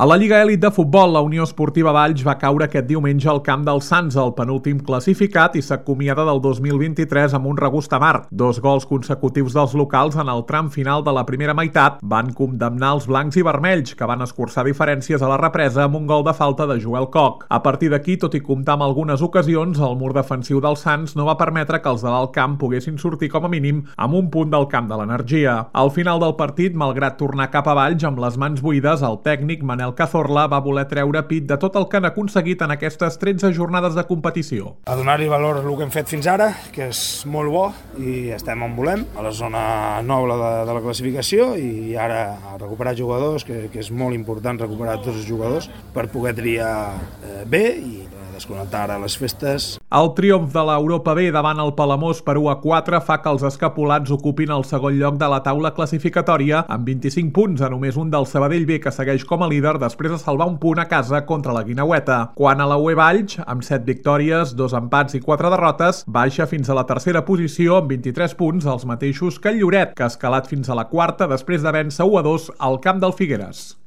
A la Lliga Elit de Futbol, la Unió Esportiva Valls va caure aquest diumenge al camp del Sants, el penúltim classificat, i s'acomiada del 2023 amb un regust amarg. 2 gols consecutius dels locals en el tram final de la primera meitat van condemnar els blancs i vermells, que van escurçar diferències a la represa amb un gol de falta de Joel Koch. A partir d'aquí, tot i comptar amb algunes ocasions, el mur defensiu del Sants no va permetre que els de l'alt camp poguessin sortir com a mínim amb un punt del camp de l'Energia. Al final del partit, malgrat tornar cap a Valls amb les mans buides, el tècnic Manel Cazorla va voler treure pit de tot el que han aconseguit en aquestes 13 jornades de competició. A donar-hi valor al que hem fet fins ara, que és molt bo, i estem on volem, a la zona noble de la classificació, i ara a recuperar jugadors, que és molt important recuperar tots els jugadors per poder triar bé i desconnectar ara les festes. El triomf de l'Europa B davant el Palamós per 1-4 fa que els escapulats ocupin el segon lloc de la taula classificatòria amb 25 punts, a només un del Sabadell B, que segueix com a líder després de salvar un punt a casa contra la Guineueta. Quan a la UE Valls, amb 7 victòries, 2 empats i 4 derrotes, baixa fins a la tercera posició amb 23 punts, els mateixos que el Lloret, que ha escalat fins a la quarta després de vèncer 1-2 al camp del Figueres.